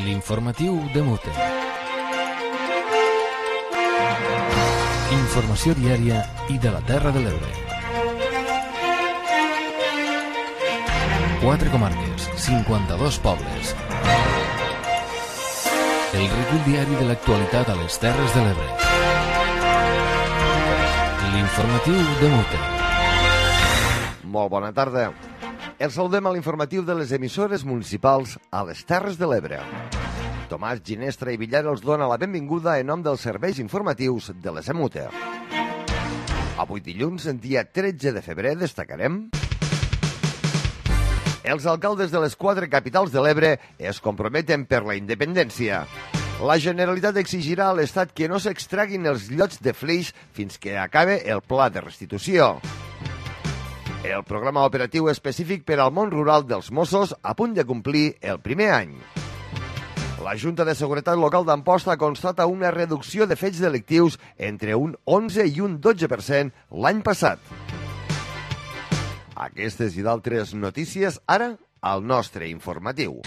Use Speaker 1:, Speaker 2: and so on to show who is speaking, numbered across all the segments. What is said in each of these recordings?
Speaker 1: L'informatiu de Mute. Informació diària i de la Terra de l'Ebre. 4 comarques, 52 pobles. El recull diari de l'actualitat a les Terres de l'Ebre. L'informatiu de Mute.
Speaker 2: Molt bona tarda. Els saludem a l'informatiu de les emissores municipals a les Terres de l'Ebre. Tomàs Ginestra i Villar els dona la benvinguda en nom dels serveis informatius de les EMUTE. Avui dilluns, dia 13 de febrer, destacarem: els alcaldes de les 4 capitals de l'Ebre es comprometen per la independència. La Generalitat exigirà a l'Estat que no s'extraguin els llots de flix fins que acabe el pla de restitució. El programa operatiu específic per al món rural dels Mossos a punt de complir el primer any. La Junta de Seguretat Local d'Amposta constata una reducció de fets delictius entre un 11 i un 12% l'any passat. Aquestes i d'altres notícies ara al nostre informatiu.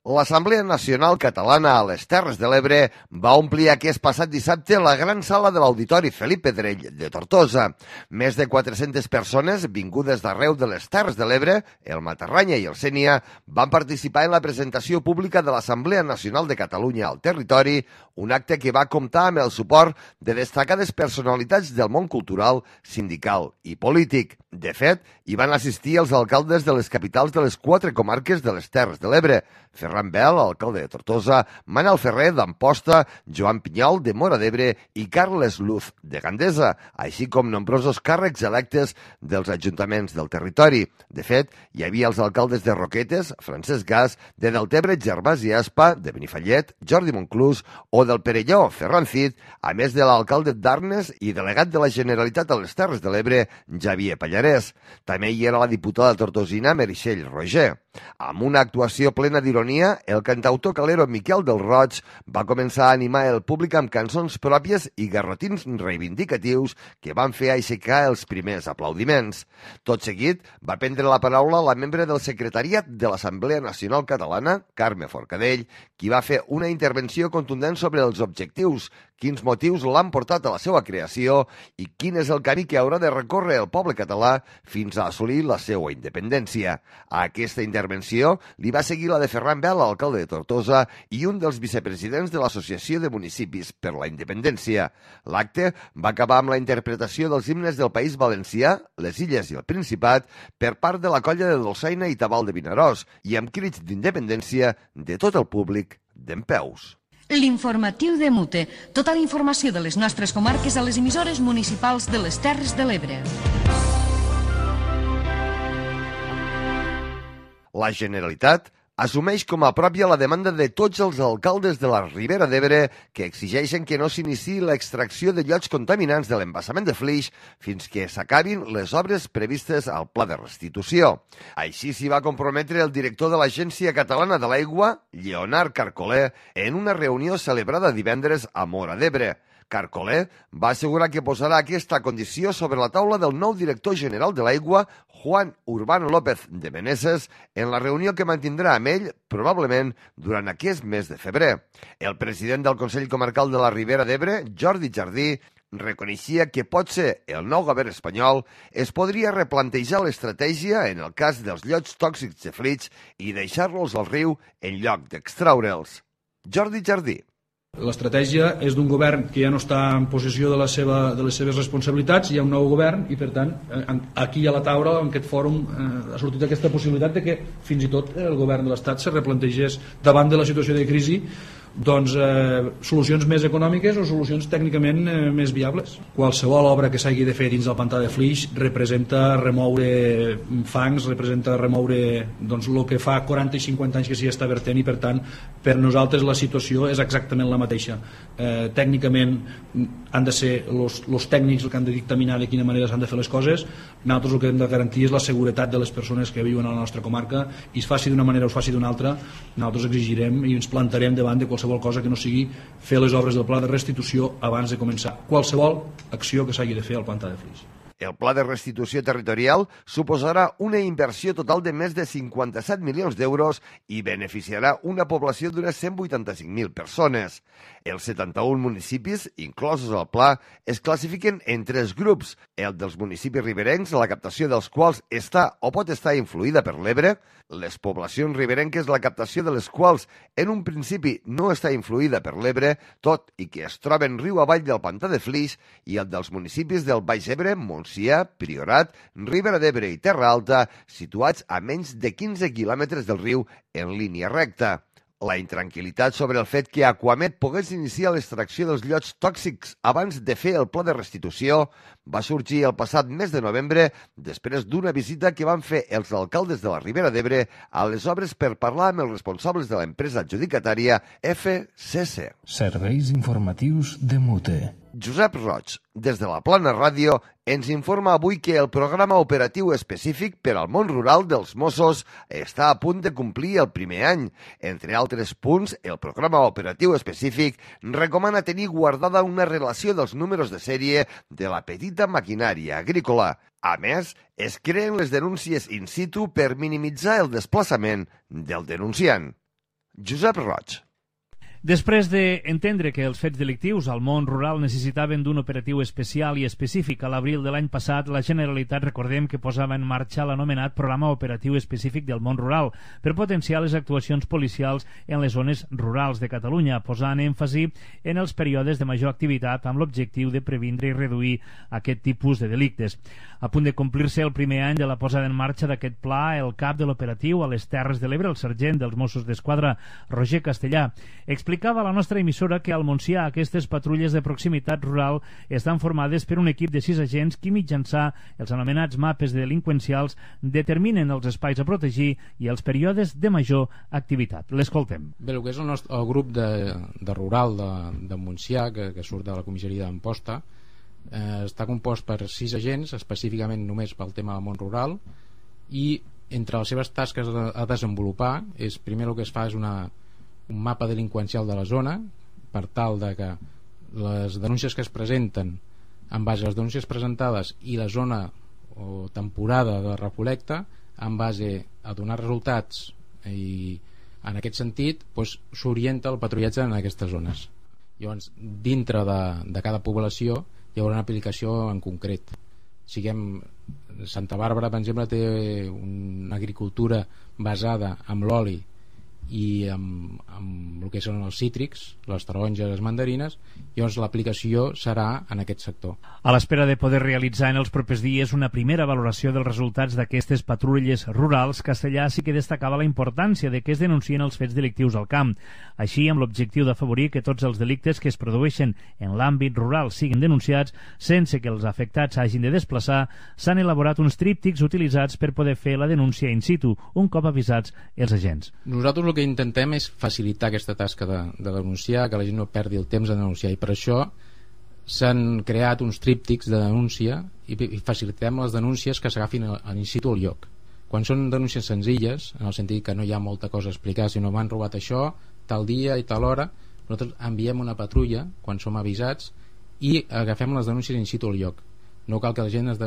Speaker 2: L'Assemblea Nacional Catalana a les Terres de l'Ebre va omplir aquest passat dissabte la gran sala de l'Auditori Felip Pedrell de Tortosa. Més de 400 persones vingudes d'arreu de les Terres de l'Ebre, el Matarranya i el Sénia, van participar en la presentació pública de l'Assemblea Nacional de Catalunya al territori, un acte que va comptar amb el suport de destacades personalitats del món cultural, sindical i polític. De fet, hi van assistir els alcaldes de les capitals de les 4 comarques de les Terres de l'Ebre: Ferran Bel, alcalde de Tortosa, Manel Ferrer d'Amposta, Joan Pinyol de Móra d'Ebre i Carles Luz de Gandesa, així com nombrosos càrrecs electes dels ajuntaments del territori. De fet, hi havia els alcaldes de Roquetes, Francesc Gas, de Deltebre, Gervasi Aspa, de Benifallet, Jordi Monclús, o del Perelló, Ferran Cid, a més de l'alcalde d'Arnes i delegat de la Generalitat a les Terres de l'Ebre, Xavier Pallarès. També hi era la diputada tortosina Meritxell Roger. Amb una actuació plena d'ironia, el cantautor calero Miquel del Roig va començar a animar el públic amb cançons pròpies i garrotins reivindicatius que van fer aixecar els primers aplaudiments. Tot seguit, va prendre la paraula la membre del secretariat de l'Assemblea Nacional Catalana, Carme Forcadell, qui va fer una intervenció contundent sobre els objectius, quins motius l'han portat a la seva creació i quin és el camí que haurà de recórrer el poble català fins a assolir la seva independència. A aquesta intervenció li va seguir la de Ferran Bel, alcalde de Tortosa, i un dels vicepresidents de l'Associació de Municipis per la Independència. L'acte va acabar amb la interpretació dels himnes del País Valencià, les Illes i el Principat per part de la colla de Dolçaina i Tabal de Vinaròs i amb crits d'independència de tot el públic dempeus.
Speaker 3: L'informatiu de Mute. Tota la informació de les nostres comarques a les emissores municipals de les Terres de l'Ebre.
Speaker 2: La Generalitat assumeix com a pròpia la demanda de tots els alcaldes de la Ribera d'Ebre que exigeixen que no s'iniciï l'extracció de llots contaminants de l'embassament de flix fins que s'acabin les obres previstes al pla de restitució. Així s'hi va comprometre el director de l'Agència Catalana de l'Aigua, Lleonard Carcolé, en una reunió celebrada divendres a Móra d'Ebre. Carcolé va assegurar que posarà aquesta condició sobre la taula del nou director general de l'Aigua, Juan Urbano López de Meneses, en la reunió que mantindrà amb ell, probablement, durant aquest mes de febrer. El president del Consell Comarcal de la Ribera d'Ebre, Jordi Jardí, reconeixia que potser el nou govern espanyol es podria replantejar l'estratègia en el cas dels llots tòxics de flix i deixar-los al riu en lloc d'extraure'ls. Jordi Jardí.
Speaker 4: L'estratègia és d'un govern que ja no està en possessió de les seves responsabilitats, hi ha un nou govern i, per tant, aquí a la taula, en aquest fòrum, ha sortit aquesta possibilitat de que fins i tot el govern de l'Estat se replantegés davant de la situació de crisi doncs solucions més econòmiques o solucions tècnicament més viables. Qualsevol obra que s'hagi de fer dins del pantà de flix representa remoure fangs, representa remoure doncs, el que fa 40 i 50 anys que s'hi està vertent i per tant per nosaltres la situació és exactament la mateixa. Tècnicament han de ser els tècnics els que han de dictaminar de quina manera s'han de fer les coses. Nosaltres el que hem de garantir és la seguretat de les persones que viuen a la nostra comarca i es faci d'una manera o es faci d'una altra, nosaltres exigirem i ens plantarem davant de qualsevol cosa que no sigui fer les obres del pla de restitució abans de començar qualsevol acció que s'hagi de fer al pantà de flix.
Speaker 2: El pla de restitució territorial suposarà una inversió total de més de 57 milions d'euros i beneficiarà una població d'unes 185.000 persones. Els 71 municipis, inclosos al pla, es classifiquen en 3 grups. El dels municipis riberencs, la captació dels quals està o pot estar influïda per l'Ebre, les poblacions riberenques, la captació de les quals en un principi no està influïda per l'Ebre, tot i que es troben riu avall del pantà de Flix, i el dels municipis del Baix Ebre, Montsià, Priorat, Ribera d'Ebre i Terra Alta, situats a menys de 15 quilòmetres del riu en línia recta. La intranquil·litat sobre el fet que Aquamet pogués iniciar l'extracció dels llots tòxics abans de fer el pla de restitució va sorgir el passat mes de novembre després d'una visita que van fer els alcaldes de la Ribera d'Ebre a les obres per parlar amb els responsables de l'empresa adjudicatària FCC.
Speaker 1: Serveis informatius de Mute.
Speaker 2: Josep Roig, des de la Plana Ràdio, ens informa avui que el programa operatiu específic per al món rural dels Mossos està a punt de complir el primer any. Entre altres punts, el programa operatiu específic recomana tenir guardada una relació dels números de sèrie de la petita maquinària agrícola. A més, es creen les denúncies in situ per minimitzar el desplaçament del denunciant. Josep Roig.
Speaker 5: Després d'entendre que els fets delictius al món rural necessitaven d'un operatiu especial i específic, a l'abril de l'any passat, la Generalitat, recordem que posava en marxa l'anomenat Programa Operatiu Específic del Món Rural per potenciar les actuacions policials en les zones rurals de Catalunya, posant èmfasi en els períodes de major activitat amb l'objectiu de previndre i reduir aquest tipus de delictes. A punt de complir-se el primer any de la posada en marxa d'aquest pla, el cap de l'operatiu a les Terres de l'Ebre, el sergent dels Mossos d'Esquadra, Roger Castellà, explicava a la nostra emissora que al Montsià aquestes patrulles de proximitat rural estan formades per un equip de 6 agents que mitjançant els anomenats mapes delinqüencials determinen els espais a protegir i els períodes de major activitat. L'escoltem.
Speaker 6: Bé, el que és el grup de rural de Montsià, que surt de la comissaria d'Amposta, està compost per 6 agents, específicament només pel tema del món rural, i entre les seves tasques a desenvolupar és, primer el que es fa és un mapa delinqüencial de la zona per tal de que les denúncies que es presenten en base a les denúncies presentades i la zona o temporada de recol·lecta en base a donar resultats, i en aquest sentit s'orienta el patrullatge en aquestes zones. Llavors, dintre de cada població hi haurà una aplicació en concret. Santa Bàrbara, per exemple, té una agricultura basada en l'oli i amb el que són els cítrics, les taronges, les mandarines. Llavors l'aplicació serà en aquest sector.
Speaker 5: A l'espera de poder realitzar en els propers dies una primera valoració dels resultats d'aquestes patrulles rurals, Castellà sí que destacava la importància de que es denuncien els fets delictius al camp. Així, amb l'objectiu d'afavorir que tots els delictes que es produeixen en l'àmbit rural siguin denunciats sense que els afectats hagin de desplaçar, s'han elaborat uns tríptics utilitzats per poder fer la denúncia in situ, un cop avisats els agents.
Speaker 6: Nosaltres el que intentem és facilitar aquesta tasca de denunciar, que la gent no perdi el temps de denunciar, i per això s'han creat uns tríptics de denúncia i facilitem les denúncies que s'agafin in situ al lloc. Quan són denúncies senzilles, en el sentit que no hi ha molta cosa a explicar, sinó m'han robat això, tal dia i tal hora, nosaltres enviem una patrulla quan som avisats i agafem les denúncies in situ al lloc. No cal que la gent es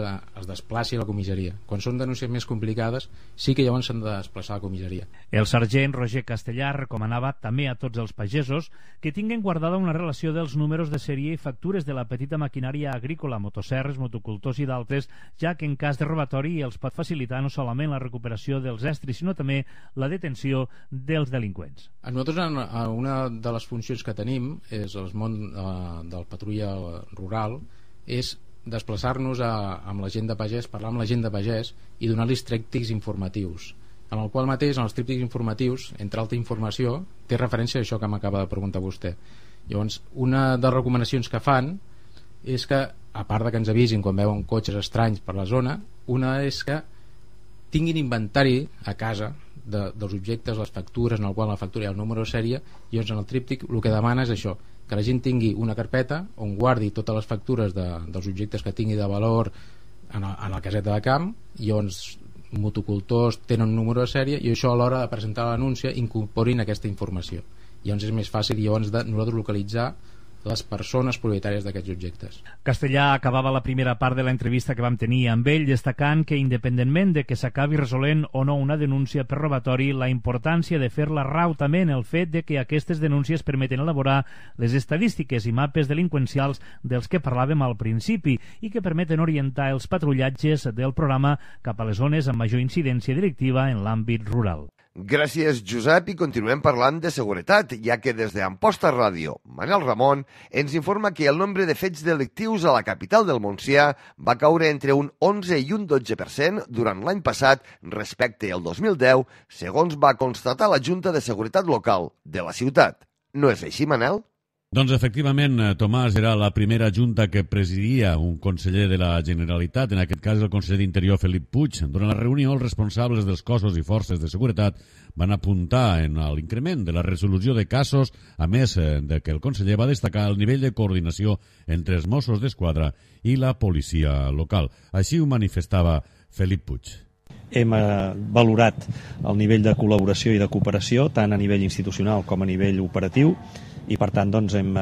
Speaker 6: desplaci a la comissaria. Quan són denúncies més complicades sí que llavors s'han de desplaçar a la comissaria.
Speaker 5: El sergent Roger Castellà recomanava també a tots els pagesos que tinguin guardada una relació dels números de sèrie i factures de la petita maquinària agrícola, motoserres, motocultors i d'altres, ja que en cas de robatori els pot facilitar no solament la recuperació dels estris, sinó també la detenció dels delinqüents.
Speaker 6: A nosaltres una de les funcions que tenim és el món del patrulla rural és desplaçar-nos amb la gent de pagès, parlar amb la gent de pagès i donar-los tríptics informatius, en el qual mateix, en els tríptics informatius, entre altra informació, té referència a això que m'acaba de preguntar vostè. Llavors, una de les recomanacions que fan és que, a part de que ens avisin quan veuen cotxes estranys per la zona, una és que tinguin inventari a casa dels objectes, les factures, en el qual la factura hi ha el número de sèrie, i llavors en el tríptic el que demana és això, que la gent tingui una carpeta on guardi totes les factures dels objectes que tingui de valor en la caseta de camp, i llavors motocultors tenen un número de sèrie i això a l'hora de presentar l'anúncia incorporin aquesta informació. Llavors és més fàcil llavors de nosaltres localitzar les persones propietàries d'aquests objectes.
Speaker 5: Castellà acabava la primera part de l'entrevista que vam tenir amb ell destacant que, independentment de que s'acabi resolent o no una denúncia per robatori, la importància de fer-la rau també en el fet de que aquestes denúncies permeten elaborar les estadístiques i mapes delinqüencials dels que parlàvem al principi i que permeten orientar els patrullatges del programa cap a les zones amb major incidència delictiva en l'àmbit rural.
Speaker 2: Gràcies, Josep, i continuem parlant de seguretat, ja que des d'Amposta Ràdio, Manel Ramon ens informa que el nombre de fets delictius a la capital del Montsià va caure entre un 11 i un 12% durant l'any passat respecte al 2010, segons va constatar la Junta de Seguretat Local de la ciutat. No és així, Manel?
Speaker 7: Doncs efectivament, Tomàs, era la primera junta que presidia un conseller de la Generalitat, en aquest cas el conseller d'Interior Felip Puig. Durant la reunió, els responsables dels cossos i forces de seguretat van apuntar en l'increment de la resolució de casos, a més de que el conseller va destacar el nivell de coordinació entre els Mossos d'Esquadra i la policia local. Així ho manifestava Felip Puig.
Speaker 8: Hem valorat el nivell de col·laboració i de cooperació tant a nivell institucional com a nivell operatiu i per tant doncs, hem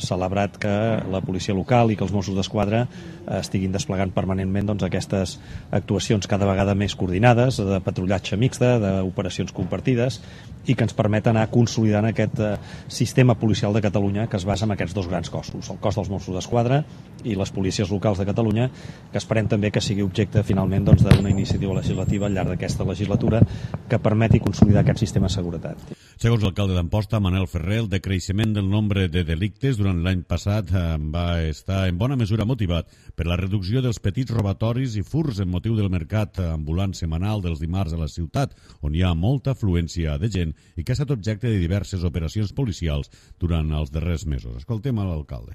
Speaker 8: celebrat que la policia local i que els Mossos d'Esquadra estiguin desplegant permanentment doncs, aquestes actuacions cada vegada més coordinades, de patrullatge mixta, d'operacions compartides i que ens permeten anar consolidant aquest sistema policial de Catalunya que es basa en aquests dos grans cossos, el cos dels Mossos d'Esquadra i les policies locals de Catalunya, que esperem també que sigui objecte finalment doncs, d'una iniciativa legislativa al llarg d'aquesta legislatura que permeti consolidar aquest sistema de seguretat.
Speaker 7: Segons l'alcalde d'Amposta, Manel Ferrer, el decreixement del nombre de delictes durant l'any passat va estar en bona mesura motivat per la reducció dels petits robatoris i furs en motiu del mercat ambulant setmanal dels dimarts a la ciutat, on hi ha molta afluència de gent i que ha estat objecte de diverses operacions policials durant els darrers mesos. Escoltem a l'alcalde.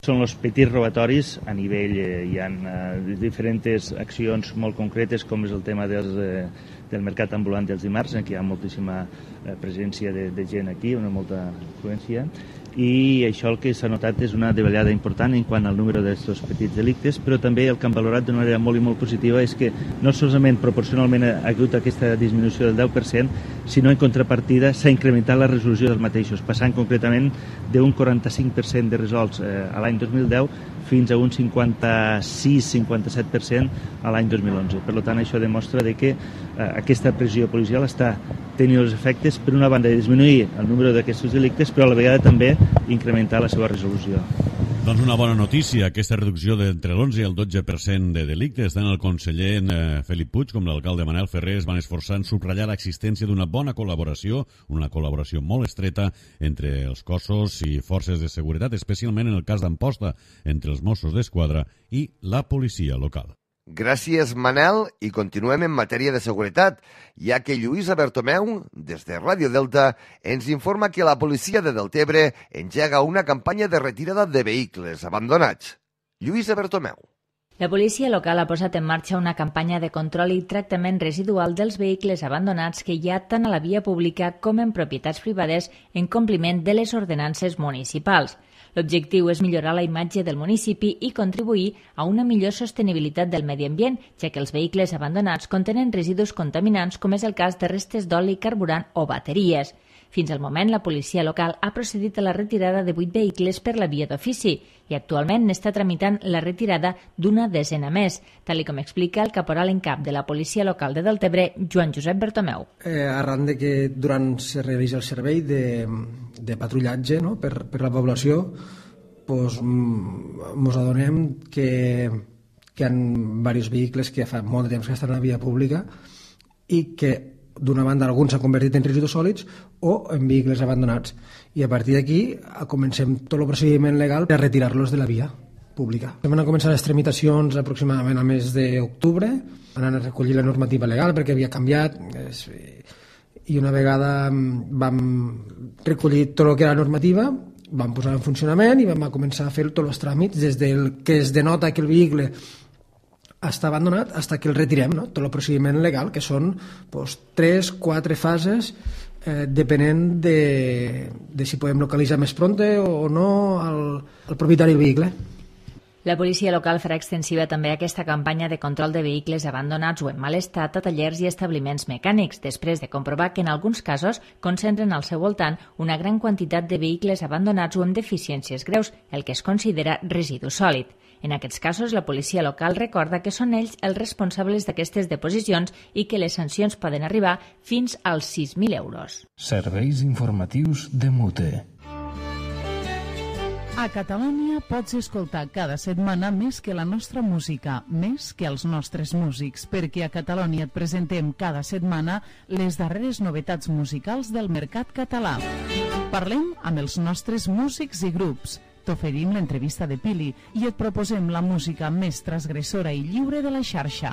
Speaker 9: Són els petits robatoris a nivell, hi ha diferents accions molt concretes com és el tema del mercat ambulant dels dimarts, en què hi ha moltíssima presència de gent aquí, una molta afluència, i això el que s'ha notat és una davallada important en quant al número d'aquests petits delictes, però també el que hem valorat d'una manera molt i molt positiva és que no solament proporcionalment ha hagut aquesta disminució del 10%, sinó en contrapartida s'ha incrementat la resolució dels mateixos, passant concretament d'un 45% de resolts a l'any 2010 fins a un 56-57% a l'any 2011. Per tant, això demostra que aquesta pressió policial està tenint els efectes, per una banda, de disminuir el número d'aquests delictes, però a la vegada també incrementar la seva resolució.
Speaker 7: Doncs una bona notícia, aquesta reducció d'entre l'11 i el 12% de delictes. Tant el conseller Felip Puig com l'alcalde Manel Ferrer es van esforçar en subratllar l'existència d'una bona col·laboració, una col·laboració molt estreta entre els cossos i forces de seguretat, especialment en el cas d'Amposta, entre els Mossos d'Esquadra i la policia local.
Speaker 2: Gràcies, Manel, i continuem en matèria de seguretat, ja que Lluïsa Bertomeu, des de Ràdio Delta, ens informa que la policia de Deltebre engega una campanya de retirada de vehicles abandonats. Lluïsa Bertomeu.
Speaker 10: La policia local ha posat en marxa una campanya de control i tractament residual dels vehicles abandonats que hi ha tant a la via pública com en propietats privades en compliment de les ordenances municipals. L'objectiu és millorar la imatge del municipi i contribuir a una millor sostenibilitat del medi ambient, ja que els vehicles abandonats contenen residus contaminants, com és el cas de restes d'oli, carburant o bateries. Fins al moment, la policia local ha procedit a la retirada de 8 vehicles per la via d'ofici i actualment n'està tramitant la retirada d'una desena més, tal com explica el caporal en cap de la policia local de Deltebre, Joan Josep Bertomeu.
Speaker 11: Arran de que durant se realitza el servei de patrullatge per la població, ens adonem que hi ha diversos vehicles que fa molt de temps que estan a la via pública i que d'una banda alguns s'han convertit en residus sòlids o en vehicles abandonats, i a partir d'aquí comencem tot el procediment legal per retirar-los de la via pública. Vam començar les tramitacions aproximadament al mes d'octubre, anant a recollir la normativa legal perquè havia canviat, i una vegada vam recollir tot el que era la normativa, vam posar en funcionament i vam començar a fer tots els tràmits des del que es denota que el vehicle està abandonat fins que el retirem, tot el procediment legal, que són 3-4 fases, depenent de si podem localitzar més pronte o no el propietari del vehicle.
Speaker 10: La policia local farà extensiva també aquesta campanya de control de vehicles abandonats o en mal estat a tallers i establiments mecànics, després de comprovar que en alguns casos concentren al seu voltant una gran quantitat de vehicles abandonats o amb deficiències greus, el que es considera residu sòlid. En aquests casos, la policia local recorda que són ells els responsables d'aquestes deposicions i que les sancions poden arribar fins als 6.000 euros.
Speaker 1: Serveis informatius de MUTE.
Speaker 12: A Catalunya pots escoltar cada setmana més que la nostra música, més que els nostres músics, perquè a Catalunya et presentem cada setmana les darreres novetats musicals del mercat català. Parlem amb els nostres músics i grups, t'oferim l'entrevista de Pili i et proposem la música més transgressora i lliure de la xarxa.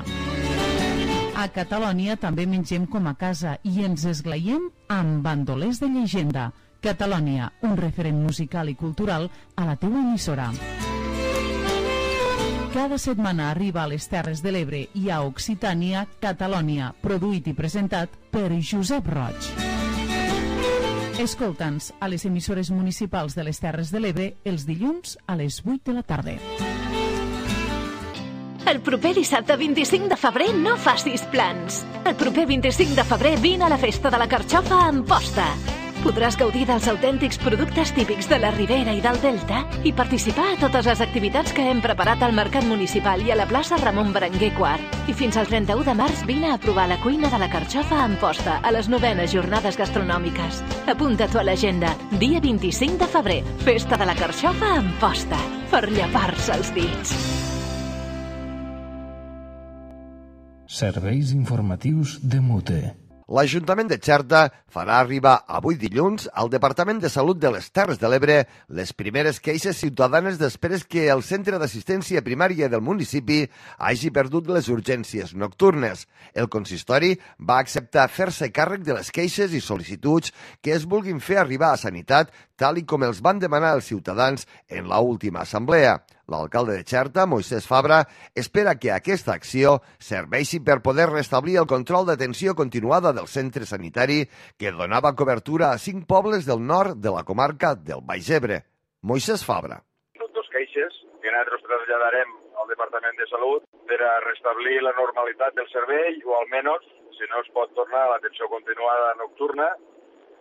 Speaker 12: A Catalunya també mengem com a casa i ens esglaiem amb bandolers de llegenda. Catalunya, un referent musical i cultural a la teua emissora. Cada setmana arriba a les Terres de l'Ebre i a Occitània, Catalunya, produït i presentat per Josep Roig. Escolta'ns a les emissores municipals de les Terres de l'Ebre els dilluns a les 8 de la tarda.
Speaker 13: El proper dissabte 25 de febrer no facis plans. El proper 25 de febrer vine a la festa de la carxofa a Amposta. Podràs gaudir dels autèntics productes típics de la Ribera i del Delta i participar a totes les activitats que hem preparat al Mercat Municipal i a la plaça Ramon Berenguer IV. I fins al 31 de març vine a provar la cuina de la carxofa a Amposta a les 9enes jornades gastronòmiques. Apunta-t'ho a l'agenda. Dia 25 de febrer. Festa de la carxofa a Amposta. Per llepar-se els dits.
Speaker 1: Serveis informatius de MUTE.
Speaker 2: L'Ajuntament de Xerta farà arribar avui dilluns al Departament de Salut de les Terres de l'Ebre les primeres queixes ciutadanes després que el Centre d'Assistència Primària del municipi hagi perdut les urgències nocturnes. El consistori va acceptar fer-se càrrec de les queixes i sol·licituds que es vulguin fer arribar a Sanitat, tal i com els van demanar els ciutadans en l'última assemblea. L'alcalde de Xerta, Moisès Fabra, espera que aquesta acció serveixi per poder restablir el control d'atenció continuada del centre sanitari que donava cobertura a 5 pobles del nord de la comarca del Baix Ebre. Moisès Fabra.
Speaker 14: Són dos queixes que nosaltres traslladarem al Departament de Salut per a restablir la normalitat del servei o almenys, si no es pot tornar a l'atenció continuada nocturna,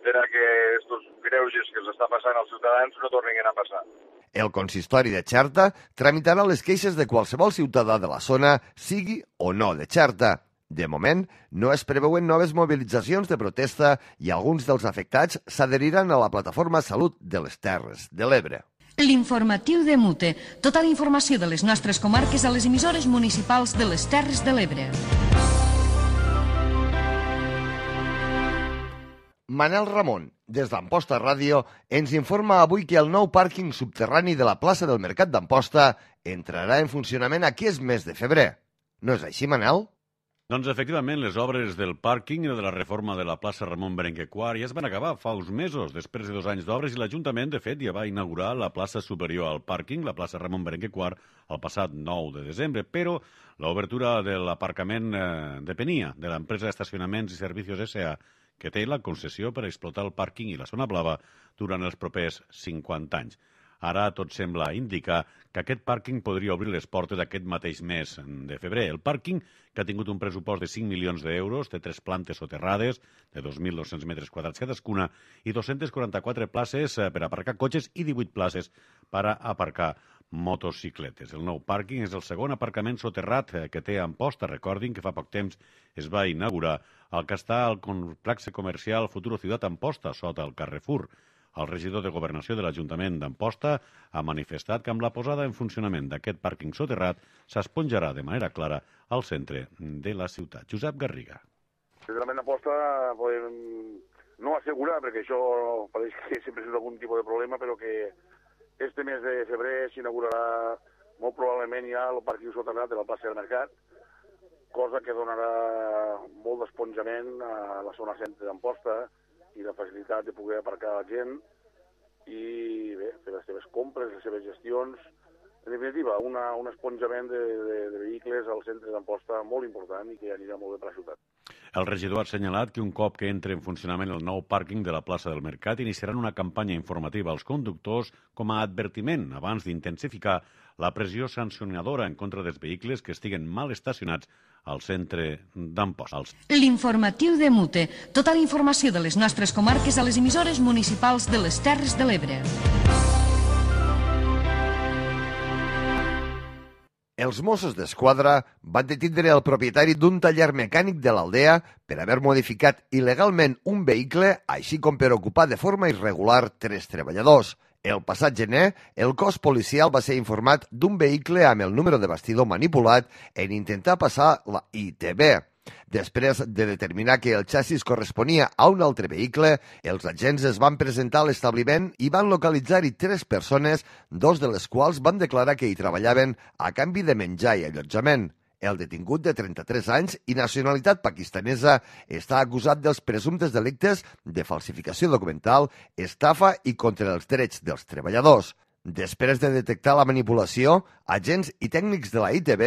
Speaker 14: per a que aquests greuges que els està passant als ciutadans no tornin a passar.
Speaker 2: El consistori de Xerta tramitarà les queixes de qualsevol ciutadà de la zona, sigui o no de Xerta. De moment, no es preveuen noves mobilitzacions de protesta i alguns dels afectats s'adheriran a la plataforma Salut de les Terres de l'Ebre.
Speaker 3: L'informatiu de MUTE. Tota la informació de les nostres comarques a les emissores municipals de les Terres de l'Ebre.
Speaker 2: Manel Ramon, des d'Amposta Ràdio, ens informa avui que el nou pàrquing subterrani de la plaça del Mercat d'Amposta entrarà en funcionament aquest mes de febrer. No és així, Manel?
Speaker 7: Doncs, efectivament, les obres del pàrquing i de la reforma de la plaça Ramon Berenguer IV ja es van acabar fa uns mesos, després de 2 anys d'obres, i l'Ajuntament, de fet, ja va inaugurar la plaça superior al pàrquing, la plaça Ramon Berenguer IV, el passat 9 de desembre, però l'obertura de l'aparcament depenia de l'empresa d'estacionaments i servicis S.A., que té la concessió per explotar el pàrquing i la zona blava durant els propers 50 anys. Ara tot sembla indicar que aquest pàrquing podria obrir les portes aquest mateix mes de febrer. El pàrquing, que ha tingut un pressupost de 5 milions d'euros, té 3 plantes soterrades de 2.200 metres quadrats cadascuna i 244 places per aparcar cotxes i 18 places per a aparcar motocicletes. El nou pàrquing és el segon aparcament soterrat que té Amposta. Recordin que fa poc temps es va inaugurar el que està al complex comercial Futuro Ciutat Amposta, sota el Carrefour. El regidor de Governació de l'Ajuntament d'Amposta ha manifestat que amb la posada en funcionament d'aquest pàrquing soterrat s'esponjarà de manera clara al centre de la ciutat. Josep Garriga.
Speaker 15: Sincerament, Amposta podem no assegurar, perquè això pareix que sempre és algun tipus de problema, però que este mes de febrer s'inaugurarà molt probablement ja el pàrquing soterrat de la plaça del Mercat, cosa que donarà molt d'esponjament a la zona centre d'Amposta i la facilitat de poder aparcar la gent i bé, fer les seves compres, les seves gestions. En definitiva, un esponjament de vehicles al centre d'Amposta molt important i que anirà molt bé per la ciutat.
Speaker 7: El regidor ha assenyalat que un cop que entre en funcionament el nou pàrquing de la plaça del Mercat iniciaran una campanya informativa als conductors com a advertiment abans d'intensificar la pressió sancionadora en contra dels vehicles que estiguen mal estacionats al centre d'Amposta.
Speaker 3: L'informatiu de Mute. Tota la informació de les nostres comarques a les emissores municipals de les Terres de l'Ebre.
Speaker 2: Els Mossos d'Esquadra van detindre el propietari d'un taller mecànic de l'Aldea per haver modificat il·legalment un vehicle, així com per ocupar de forma irregular 3 treballadors. El passat gener, el cos policial va ser informat d'un vehicle amb el número de bastidor manipulat en intentar passar la ITB. Després de determinar que el xassis corresponia a un altre vehicle, els agents es van presentar a l'establiment i van localitzar-hi 3 persones, 2 de les quals van declarar que hi treballaven a canvi de menjar i allotjament. El detingut de 33 anys i nacionalitat pakistanesa està acusat dels presumptes delictes de falsificació documental, estafa i contra els drets dels treballadors. Després de detectar la manipulació, agents i tècnics de la ITB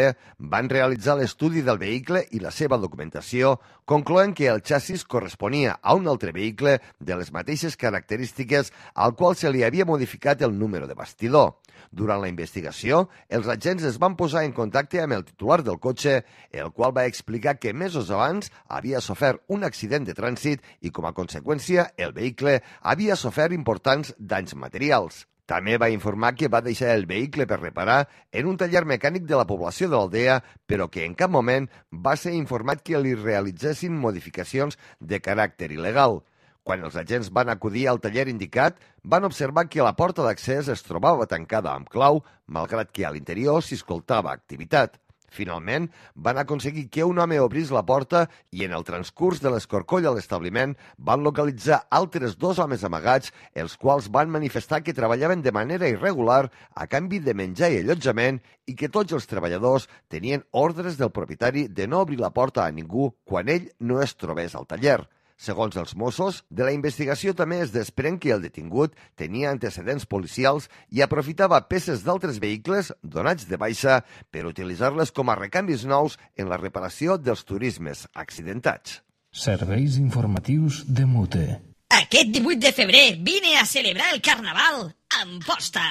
Speaker 2: van realitzar l'estudi del vehicle i la seva documentació, concloent que el xassis corresponia a un altre vehicle de les mateixes característiques al qual se li havia modificat el número de bastidor. Durant la investigació, els agents es van posar en contacte amb el titular del cotxe, el qual va explicar que mesos abans havia sofert un accident de trànsit i, com a conseqüència, el vehicle havia sofert importants danys materials. També va informar que va deixar el vehicle per reparar en un taller mecànic de la població de l'Aldea, però que en cap moment va ser informat que li realitzessin modificacions de caràcter il·legal. Quan els agents van acudir al taller indicat, van observar que la porta d'accés es trobava tancada amb clau, malgrat que a l'interior s'hi escoltava activitat. Finalment, van aconseguir que un home obrís la porta i en el transcurs de l'escorcoll a l'establiment van localitzar altres 2 homes amagats, els quals van manifestar que treballaven de manera irregular a canvi de menjar i allotjament i que tots els treballadors tenien ordres del propietari de no obrir la porta a ningú quan ell no es trobés al taller. Segons els Mossos, de la investigació també es desprèn que el detingut tenia antecedents policials i aprofitava peces d'altres vehicles donats de baixa per utilitzar-les com a recanvis nous en la reparació dels turismes accidentats.
Speaker 1: Serveis informatius de Mute.
Speaker 16: Aquest 18 de febrer vine a celebrar el Carnaval a Amposta.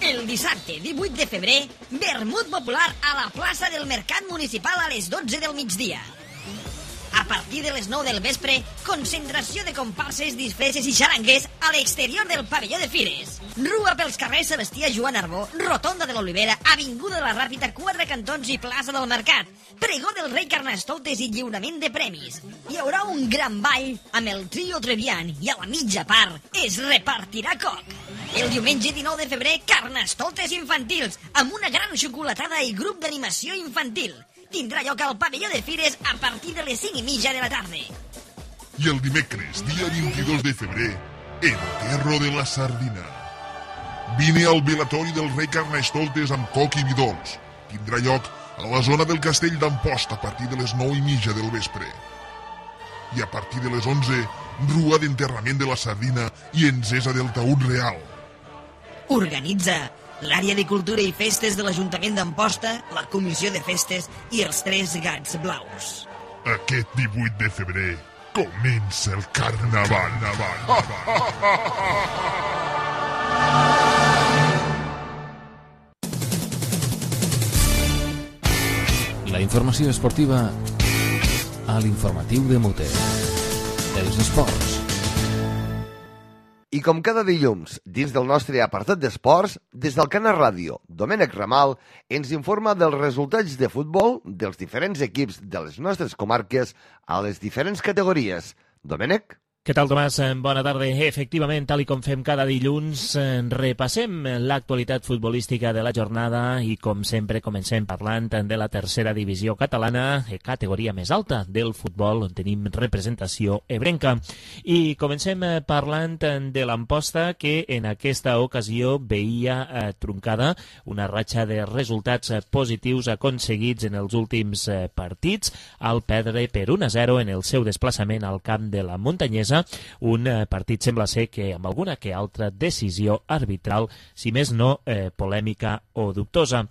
Speaker 16: El dissabte 18 de febrer, vermut popular a la plaça del Mercat Municipal a les 12 del migdia. A partir de les 9 del vespre, concentració de comparses, disfresses i xarangues a l'exterior del pavelló de Fires. Rua pels carrers Sebastià Joan Arbó, Rotonda de l'Olivera, Avinguda de la Ràpita, 4 cantons i plaça del Mercat. Pregó del rei Carnestoltes i lliurament de premis. Hi haurà un gran ball amb el trio Trevian i a la mitja part es repartirà coc. El diumenge 19 de febrer, Carnestoltes infantils, amb una gran xocolatada i grup d'animació infantil. Tindrà lloc al pavelló de Fires a partir de les 5:30 de la tarda.
Speaker 17: I el dimecres, dia 22 de febrer, Enterro de la Sardina. Vine al velatori del rei Carnestoltes amb coc i vi dolç. Tindrà lloc a la zona del castell d'Amposta a partir de les 9:30 del vespre. I a partir de les 11, rua d'enterrament de la sardina i encesa del taüt real.
Speaker 16: Organitza l'àrea de cultura i festes de l'Ajuntament d'Amposta, la Comissió de Festes i els 3 Gats Blaus.
Speaker 17: Aquest 18 de febrer comença el Carnaval.
Speaker 1: La informació esportiva a l'informatiu de Mute. Els esports.
Speaker 2: I com cada dilluns, dins del nostre apartat d'esports, des del Canal Ràdio, Domènec Ramal ens informa dels resultats de futbol dels diferents equips de les nostres comarques a les diferents categories. Domènec?
Speaker 18: Què tal, Tomàs? Bona tarda. Efectivament, tal i com fem cada dilluns, repassem l'actualitat futbolística de la jornada i, com sempre, comencem parlant de la tercera divisió catalana, categoria més alta del futbol, on tenim representació ebrenca. I comencem parlant de l'Amposta, que en aquesta ocasió veia truncada una ratxa de resultats positius aconseguits en els últims partits, al perdre per 1-0 en el seu desplaçament al camp de la Muntanyesa, un partit sembla ser que amb alguna que altra decisió arbitral, si més no polèmica o dubtosa.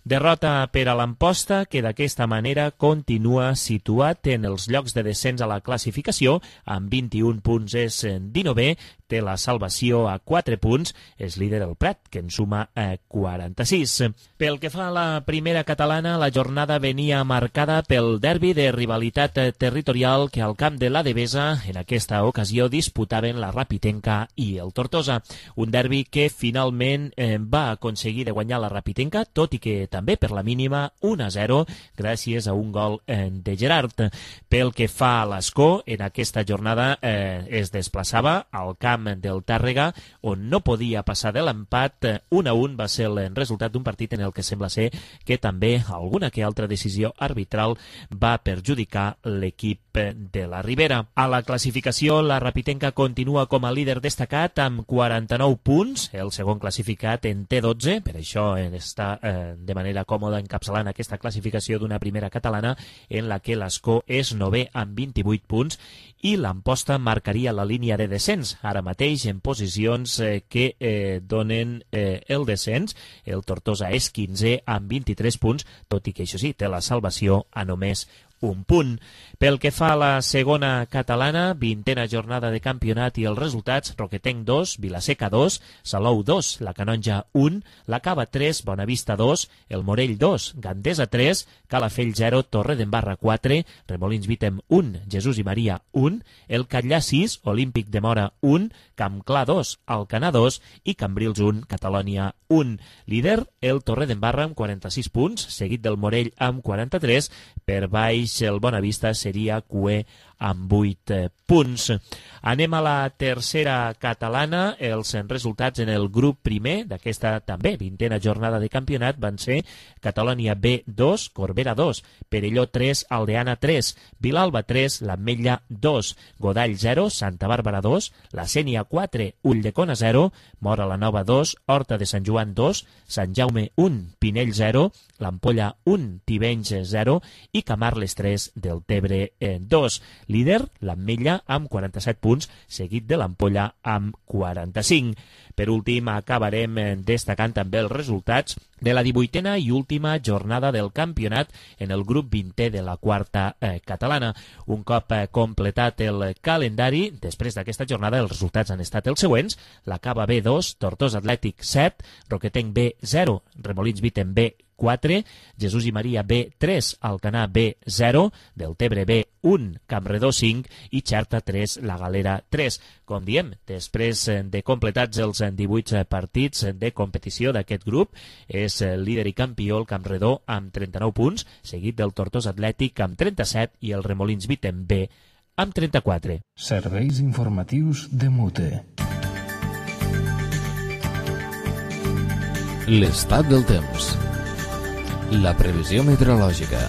Speaker 18: Derrota per a l'Amposta, que d'aquesta manera continua situat en els llocs de descens a la classificació, amb 21 punts és 19è, té la salvació a 4 punts, és líder el Prat, que en suma 46. Pel que fa a la primera catalana, la jornada venia marcada pel derbi de rivalitat territorial que al camp de la Devesa en aquesta ocasió disputaven la Rapitenca i el Tortosa. Un derbi que finalment va aconseguir de guanyar la Rapitenca, tot i que també per la mínima 1-0 gràcies a un gol de Gerard. Pel que fa a l'Escó, en aquesta jornada es desplaçava al camp del Tàrrega, on no podia passar de l'empat. 1-1 va ser el resultat d'un partit en el que sembla ser que també alguna que altra decisió arbitral va perjudicar l'equip de la Ribera. A la classificació, la Rapitenca continua com a líder destacat amb 49 punts, el segon classificat en té 12, per això està de manera còmoda encapçalant aquesta classificació d'una primera catalana en la que l'Escó és 9è amb 28 punts i l'Amposta marcaria la línia de descens, ara mateix en posicions que donen el descens. El Tortosa és 15è amb 23 punts, tot i que això sí, té la salvació a només un punt. Pel que fa a la segona catalana, 20a jornada de campionat i els resultats: Roquetenc 2, Vilaseca 2, Salou 2, la Canonja 1, la Cava 3, Bonavista 2, el Morell 2, Gandesa 3, Calafell 0, Torredembarra 4, Remolins Vítem 1, Jesús i Maria 1, el Catllà 6, Olímpic de Mora 1, Campclar 2, Alcanar 2 i Cambrils 1, Catalònia 1. Líder, el Torredembarra amb 46 punts, seguit del Morell amb 43, per baix el Bonavista seria cuer amb 8 punts. Anem a la tercera catalana. Els resultats en el grup primer d'aquesta també 20a jornada de campionat van ser Catalònia B 2, Corbera 2, Perelló 3, Aldeana 3, Vilalba 3, l'Ametlla 2, Godall 0, Santa Bàrbara 2, la Sénia 4, Ulldecona 0, Mora la Nova 2, Horta de Sant Joan 2, Sant Jaume 1, Pinell 0, l'Ampolla 1, Tivenys 0 i Camarles 3 del Tebre 2. Líder, l'Ametlla amb 47 punts, seguit de l'Ampolla amb 45. Per últim, acabarem destacant també els resultats de la 18a i última jornada del campionat en el grup 20è de la quarta catalana. Un cop completat el calendari, després d'aquesta jornada els resultats han estat els següents: la Cava B 2, Tortosa Atlètic 7, Roquetenc B 0, Remolins Vítem B 4, Jesús i Maria B 3, Alcanar B 0, Deltebre B 1, Campredó 5 i Xerta 3, la Galera 3. Com diem, després de completats els 18 partits de competició d'aquest grup, és líder i campió el Campredó amb 39 punts, seguit del Tortosa Atlètic amb 37 i el Remolins Vítem B amb 34.
Speaker 1: Serveis informatius de Mute. L'estat del temps. La previsió meteorològica.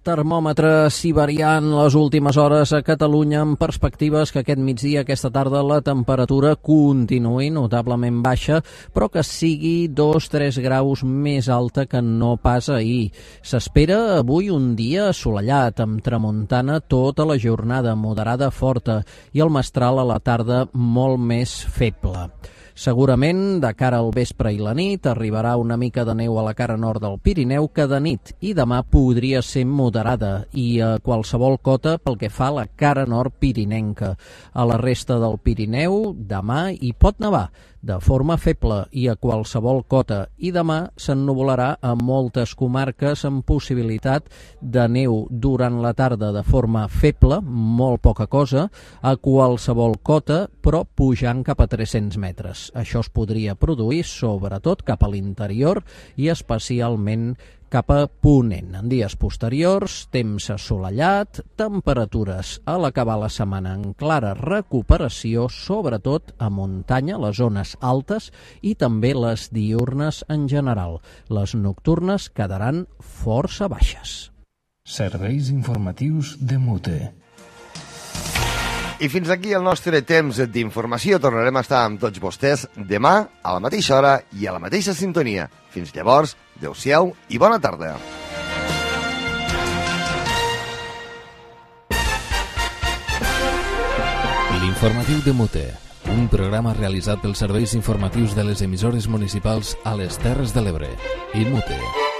Speaker 19: Termòmetre siberian les últimes hores a Catalunya, amb perspectives que aquest migdia, aquesta tarda, la temperatura continuï notablement baixa, però que sigui 2-3 graus més alta que no pas ahir. S'espera avui un dia assolellat, amb tramuntana tota la jornada, moderada forta, i el mestral a la tarda molt més feble. Segurament, de cara al vespre i la nit, arribarà una mica de neu a la cara nord del Pirineu, que de nit i demà podria ser moderada, i a qualsevol cota pel que fa a la cara nord pirinenca. A la resta del Pirineu, demà hi pot nevar, de forma feble i a qualsevol cota, i demà s'ennuvolarà a moltes comarques amb possibilitat de neu durant la tarda de forma feble, molt poca cosa, a qualsevol cota, però pujant cap a 300 metres. Això es podria produir sobretot cap a l'interior i especialment cap a ponent. En dies posteriors, temps assolellat, temperatures a l'acabar la setmana en clara recuperació, sobretot a muntanya, les zones altes, i també les diürnes en general. Les nocturnes quedaran força baixes.
Speaker 1: Serveis informatius de Mute.
Speaker 2: I fins aquí el nostre temps d'informació. Tornarem a estar amb tots vostès demà a la mateixa hora i a la mateixa sintonia. Fins llavors, adeu-siau i bona tarda.
Speaker 1: L'informatiu de Mute, Un programa realitzat pels serveis informatius de les emissores municipals a les Terres de l'Ebre. IMUTE.